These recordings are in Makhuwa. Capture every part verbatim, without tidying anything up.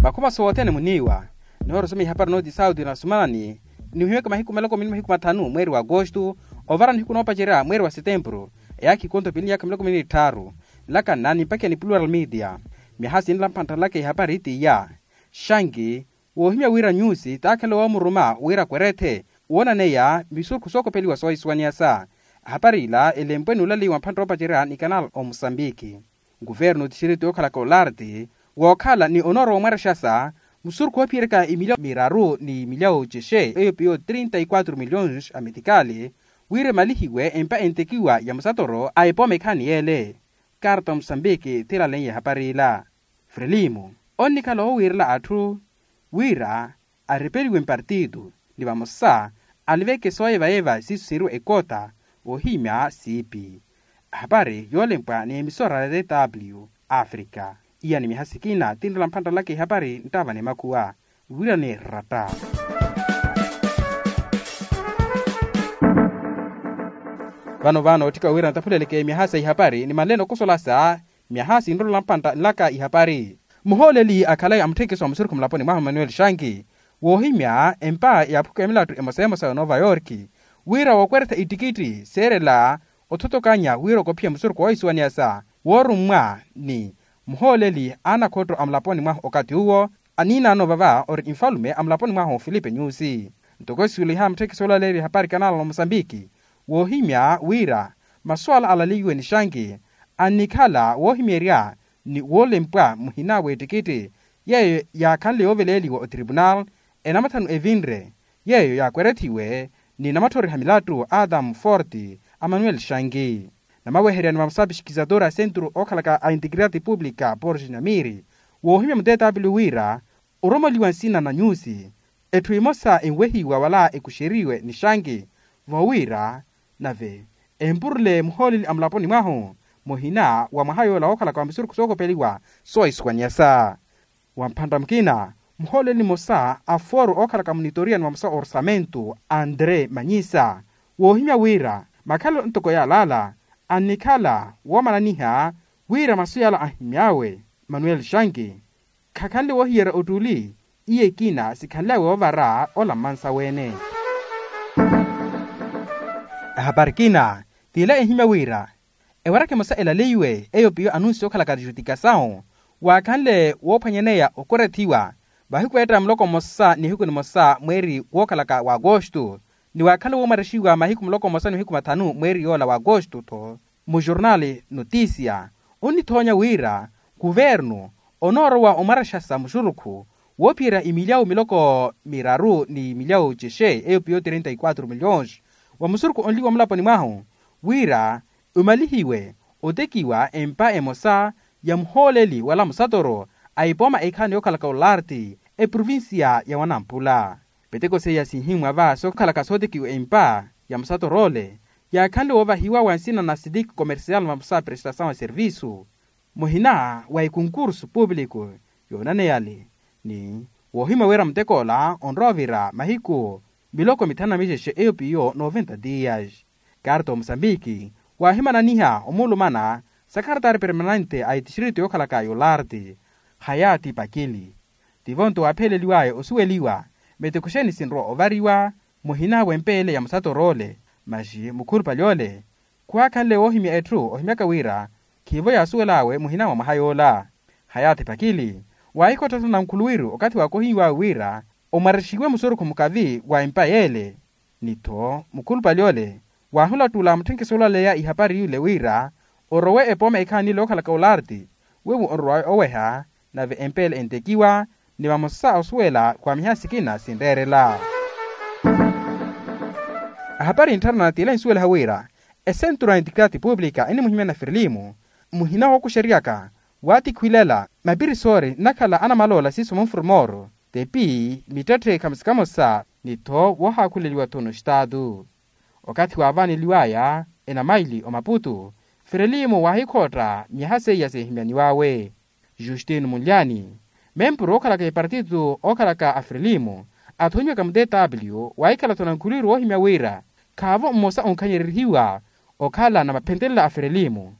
Makhuma sothene muniiwa. Nihoorosoma ihapari nooti sauti na sumanani, nihuhiweke mahiku maloko mili mahiku mathanu mweeri wa agosto, ovara nihiku noopacerya mweeri wa setempuru, eyaakha ikonto pili niyaka miloko mili ni tthaaru. Nlaka nnani mpakiya ni plural media. Myaha sinla mphantthanlaka ihapari tiya. Xanki, woohimya wira nyusi taakhanle woomuruma wira akwerethe woonaneya misurukhu sookopeliwa soohisuwaniyasa. Ahapari ila elempwe ni ulaleyi wa mphantta oopacerya ni kanal omosambiki. Nkuvernu tixiriti yookhalaka olarti wookhala ni onooro woomwarexasa musurukhu oophiyeryaka imilyawu miraru ni imilyawu cexe eyo piyo trinta y quatro milhões a metikali, wira emalihiwe empa entekiwa ya musatoro a epooma ekhaani yeele. Karta musambiki thiilaleiye ehapari ila. Frelimo onnikhala oowiirela atthu wira aripeliwe mpartitu ni vamosa aliveke sooyeva-yeva siiso siiriwa ekota. Ohimya siipi. Ahapari yoolempwa ni emisora ya tw africa. Iya ni miha sikina tinrela mphantthalaka ihapari nttaava ni makhuwa wira ni ratta. Vano vano otthika wira ntaphuleleke miha sa ihapari ni manleene okosolasa miaha sinrolela mpantta nlaka ihapari. Muhooleli akhalaye amutthekiso wa musurukhu mulaponi mwahu emmanuel shanki woohimya empa ya aphuku ya milattu emosa emosa ya nova yorki wira wookweretha ittikitthi seerela othothokanya wira okophiya musurukhu woohisuwaniyasa woorummwa ni muhooleli a anakhotto a mulaponi mwahu okathi uwo aniinaano vava ori nfalume a mulaponi mwahu filipe nyusi. Ntoko esuweliha mutthekiso olaleerya ehapari kanala na mosambiki woohimya wira masu ala alaleiwe ni shanki annikhala woohimeerya ni woolempwa muhina w'ettikitthi yeeyo yaakhanle yooveleeliwa otripunal enamathanu evinre yeeyo yaakwerethiwe ni namatthoriha milattu a adamu forti a manuel shanki. Namaweheryani va musapixikizatori a sentru ookhalaka a integridade pública porge namiri woohimya muteetapili wira oromoliwa nsina na nyusi etthu emosa enwehiwa wala ekuxeriwe ni shanki voowiira nave empurule muhooleli a mulaponi mwahu muhina wa mwaha yoola wookhalaka wa misurukhu sookopeliwa soohisuwaniyasa. Wa mphantta mukina muhooleli mmosa a foro ookhalaka munitoriya ni vamosa orsamento andre manyisa woohimya wira makhalelo ntoko yaalaala annikhala woomananiha wira masu yaala ahimy'awe manuel shanki khakhanle woohiyerya ottuli. Iye ekina sikhanl'awe woovara ola mmansa weene. Ahapari kina t'ila ehimya wira ewaraka emosa elaleiwe eyo piyo anunsi okhalaka tixutikasawu waakhanle woophwanyaneya okwerethiwa vahiku eetta muloko mmosa ni hiku nimosa mweeri wookhalaka wa agosto ni waakhanle woomwarexiwa mahiku muloko mmosa ni mahiku mathanu mweeri yoola wa agosto-tho. Mujornali notisia onnithoonya wira kuvernu onoorowa omwarexasa muxurukhu woophiyerya imilyawu miloko miraru ni imilyawu cexe eyo piyo trinta y quatro milhões wa musurukhu onliwa mulaponi mwahu wira omalihiwe otekiwa empa emosa ya muhooleli wala musatoro a ipooma ekhaani yookhalaka olarti eprovincia ya wanampula. Peteko seiya sinhimwa va sookhalaka sootekiwa empa ya musatoro ole yaakhanle woovahiwa wa nsina na sitiki comercial vamosa prestasawu a servisu muhina wa ekonkursu públiku yoonaneyale ni woohimya wira muteko ola onrowa ovira mahiku miloko mithanu na mixexe eyo piyo noventa dias. Karta omosambiki waahimananiha omuulumana sakaratari permanente a etixiriti yookhalaka yolarte hayati pakili tivo nto waapheleliwaya osuweliwa miteko xeeni sinrowa ovariwa muhina w'empeele ya musatoro ole. Maxi mukhulupale ole khuwaakhanle woohimya etthu ohimyaka wira khiivo yaasuwel'awe muhina mwa mwaha yoola. Hayati pakili waahikhottha nankhuluwiru okathi waakohiw'awe wira omwarexiwe musurukhu mukavi wa empa yeele ni-tho mukhulupale ole waahulattula mutthenkeso olaleya ihapari yule wira orowe epooma ekhaani ile ookhalaka olarti weiwo onrowawe oweha nave empeele entekiwa ni vamosa osuwela khwa miha sikina sinreerela. Ahapari ntthara na tila ensuweliha wira esentru ya integridade pública enimuhimya na firilimu muhina wookuxeryaka waatikhwilela mapirisori nnakhala anamaloola siiso munfurumoro tepi mittetthe khamosa khamosa ni-tho woohaakhuleliwa-tho noxitaatu. Okathi waavaaneliwaya enamaili omaputu firilimu waahikhotta miyaha seiya seehimyaniw'awe. Justino munlyani mempuru ookhalaka epartito ookhalaka a firilimu athonyiwaka mu tw waahikhala-tho nankhuluwiru woohimya wira khaavo mmosa onkhanyererihiwa okhala na maphentelela a firilimu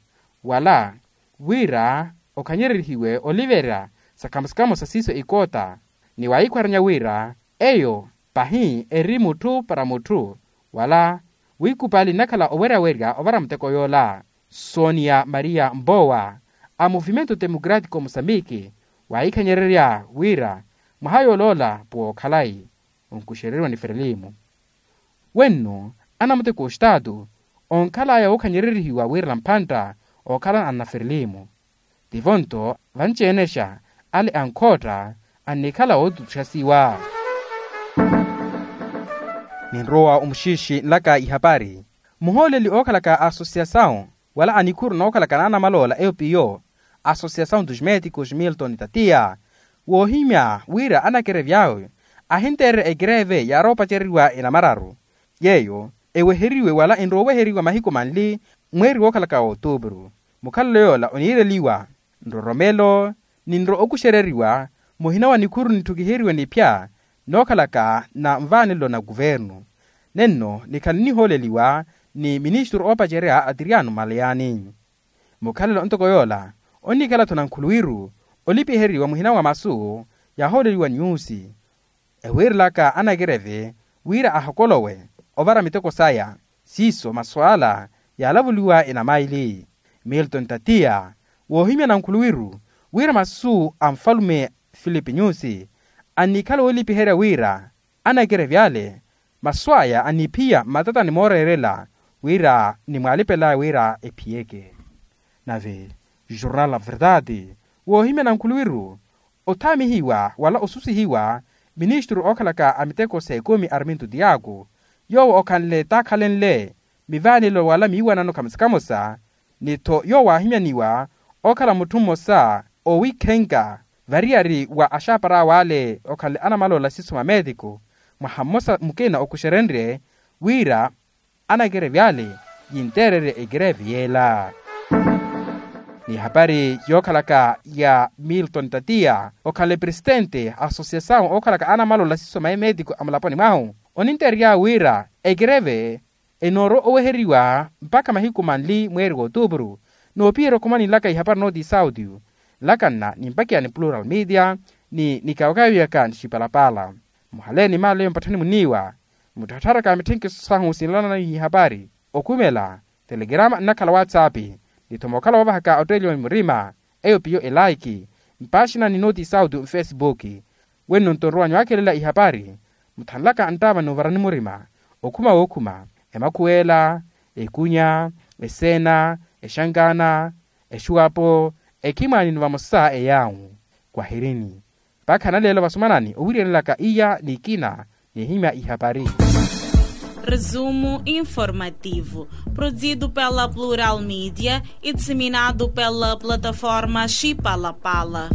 wala wira okhanyererihiwe oliverya Sakhamo sakhamo sa siiso ikoota ni waahikhwaranya wira eyo pahi eri mutthu para mutthu wala wiikupali nnakhala oweryawerya ovara muteko yoola. Sonia maria mbowa a movimento democratico mosambiki waahikhanyererya wira mwaha yooloola pwookhalayi onkuxereriwa ni ferelimu. Wenno anamuteko ostaatu onkhalaya wookhanyererihiwa wira nampantta ookhala anaferelimu tivo nto vanci-enexa ale ankhootta annikhala wootutuxasiwa. Ninrowa omuxiixi nlaka ihapari muhooleli ookhalaka asosiyasawu wala anikhuru nookhalaka naanamaloola eyo piyo asosiyasawu dos médicos milton tatiya woohimya wira anakerevi awe ahinteererya ekereve yaaroopaceriwa enamararu yeeyo eweheriwe wala enrooweheriwa mahiku manli mweeri wookhalaka wa otupuru. Mukhalelo yoola oniireliwa nroromelo ninro okuxereriwa muhina wa nikhuru nitthukiheriwe niphya nookhalaka na nvaanelo na kuvernu nenno nikhale nihooleliwa ni ministru oopacerya atiriyano maleyani. Mukhalelo ntoko yoola onnikhala-tho nankhuluwiru olipiheriwa muhina wa masu yahooleliwa nyusi ewiirelaka anakereve wira ahokolowe ovara miteko saya siiso masu ala yaalavuliwa enamaili. Milton tatiya woohimya nankhuluwiru wira masu a nfalume filipi nyusi annikhala woolipiherya wira anakerevye ale masu aya aniphiya mmatatani mooreerela wira nimwaalipelaya wira ephiyeke. Nave jornal la verdade woohimya nankhuluwiru othaamihiwa wala osusihiwa ministru ookhalaka a miteko sa ekumi arminto tiaku yoowo okhanle taakhalenle mivaanelo wala miiwanano khamosa khamosa ni-tho yoowo aahimyaniwa okhala mutthu mmosa oowikhenka variyari wa axaapar'awe ale okhanle anamaloola siso mameetiko mwaha mmosa mukina okuxerenrye wira anakerevi ale yinteererye ekerevi yeela. Ni hapari yookhalaka ya milton tatiya okhanle presitente a asosiyasawu ookhalaka anamaloola siso mameetiko a mulaponi mwahu oninteererya wira ekerevi enoorwa oweheriwa mpakha mahiku manli mweeri w'otupuru noopiherya okhumani nlaka ihapari nooti isauti nlakanna ni mpakiya ni plural media ni nikawakawiwiyaka ni xipalapala. Muhaleeni maaleyo mpatthani muniiwa mutthattharaka mitthenkeso sahu sinlananayi ihapari okhumela telegrama nnakhala whatsapp ni-tho mookhala woovahaka otteeliwa ni murima eyo piyo elaiki mpaaxina ni nooti isauti nfesibuki. Wenno nto nrowa nywaakhelela ihapari muthanlaka nttaava ni ovarani murima okhuma wookhuma emakhuweela ekunya eseena exankaana exuwapo ekhimwaani ni vamosa eyaawu. Kwahirini mpakha naleelo vasumanani owiriyanelaka iya n'ikina n'ihimya ihapari. Resumo informativo, produzido pela plural media e disseminado pela plataforma xipalapala.